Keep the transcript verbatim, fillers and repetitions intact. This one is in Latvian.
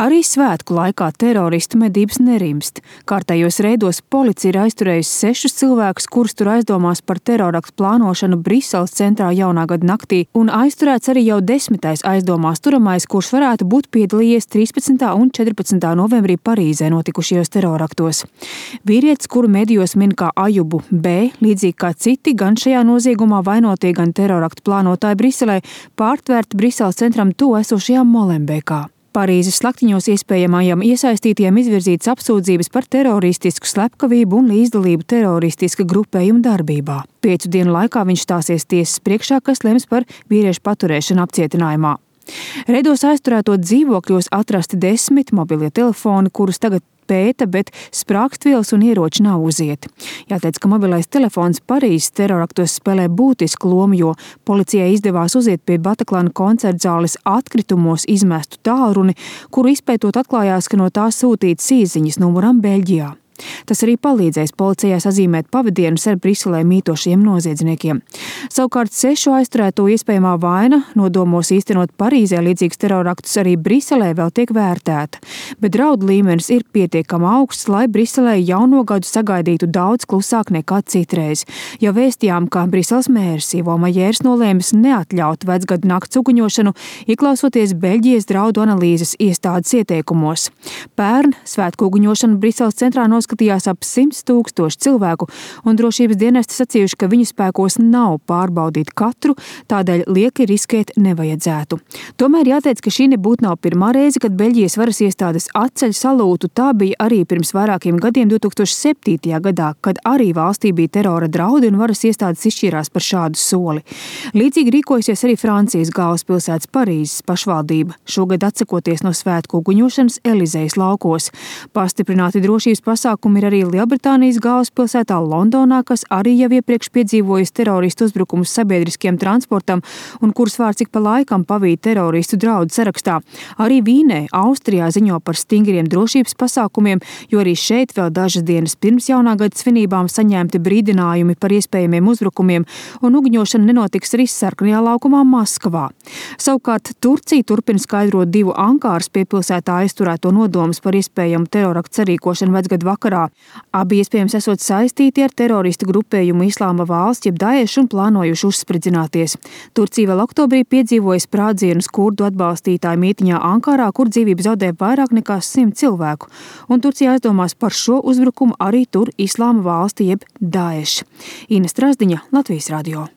Arī svētku laikā teroristu medības nerimst. Kārtējos reidos policija ir aizturējusi sešus cilvēkus, kurus tur aizdomās par teroraktu plānošanu Briseles centrā jaunā gada naktī, un aizturēts arī jau desmitais aizdomās turamais, kurš varētu būt piedalījies trīspadsmitā un četrpadsmitā novembrī Parīzē notikušajos teroraktos. Vīrietis, kuru medijos min kā Ajubu B, līdzīgi kā citi, gan šajā noziegumā vainotie, gan teroraktu plānotāji Briselē, pārtvērti Briseles centram tuvu esošajā Molenbeekā. Parīzes slaktiņos iespējamajam iesaistītiem izvirzītas apsūdzības par teroristisku slepkavību un līdzdalību teroristiska grupējuma darbībā. Piecu dienu laikā viņš stāsies tiesas priekšā, kas lems par vīriešu paturēšanu apcietinājumā. Reidos aizturēto dzīvokļos atrasti desmit mobilie telefoni, kurus tagad pēta, bet sprāgstvielas un ieroči nav uzieti. Jāteic, ka mobilais telefons Parīzes teroraktos spēlē būtisku lomu, jo policijai izdevās uziet pie Bataklana koncertzāles atkritumos izmestu tālruni, kuru izpētot atklājās, ka no tā sūtītas īsziņas numuram Beļģijā. Tas arī palīdzēs policijai sazīmēt pavadienus ar Briselē mītošiem noziedzniekiem. Savukārt sešu aizturēto iespējamā vaina nodomos īstenot Parīzē līdzīgus teroraktus arī Briselē vēl tiek vērtēta, bet draudu līmenis ir pietiekami augsts, lai Briselē jauno gadu sagaidītu daudz klusāk nekā citreiz. Jau vēstījām, ka Briseles mērs Ivo Majērs nolēmis neatļaut vecgadu nakts uguņošanu, ieklausoties Beļģijas draudu analīzes iestādes ieteikumos. Pērn svētku uguņošanu Briseles centrā noskatījās skatījās ap simts tūkstoši cilvēku, un drošības dienesti sacījuši, ka viņu spēkos nav pārbaudīt katru, tādēļ lieki riskēt nevajadzētu. Tomēr jāteic, ka šī nebūtu nav pirmā reize, kad Beļģijas varas iestādes atceļ salūtu. Tā bija arī pirms vairākiem gadiem divi tūkstoši septītajā gadā, kad arī valstī bija terora draudi un varas iestādes izšķīrās par šādu soli. Līdzīgi rīkojasies arī Francijas galvaspilsētas Parīzes pašvaldība, šogad atsakoties no svētku uguņošanas Elizejas laukos. Pastiprināti drošības pasākumi ir arī Lielbritānijas galvaspilsētā Londonā, kas arī jau iepriekš piedzīvojas teroristu uzbrukumus sabiedriskiem transportam un kuras vārds ik pa laikam pavīd teroristu draudu sarakstā. Arī Vīnē, Austrijā ziņo par stingriem drošības pasākumiem, jo arī šeit vēl dažas dienas pirms jaunā gada svinībām saņemti brīdinājumi par iespējamiem uzbrukumiem, un uguņošana nenotiks arī sarkanajā laukumā Maskavā. Savukārt Turcija turpina skaidrot divu Ankāras piepilsētā aizturēto nodomus par iespējamu teroraktu sarīkošanu vecgadu vakarā. Abi iespējams esot saistīti ar teroristu grupējumu Islāma valsts, jeb Daešu, un plānojuši uzspridzināties. Turcija vēl oktobrī piedzīvoja sprādzienus kurdu atbalstītāju mītiņā Ankarā, kur dzīvību zaudēja vairāk nekā simt cilvēku. Un Turcija aizdomās par šo uzbrukumu arī tur Islāma valsti, jeb Daeša. Ina Strazdiņa, Latvijas radio.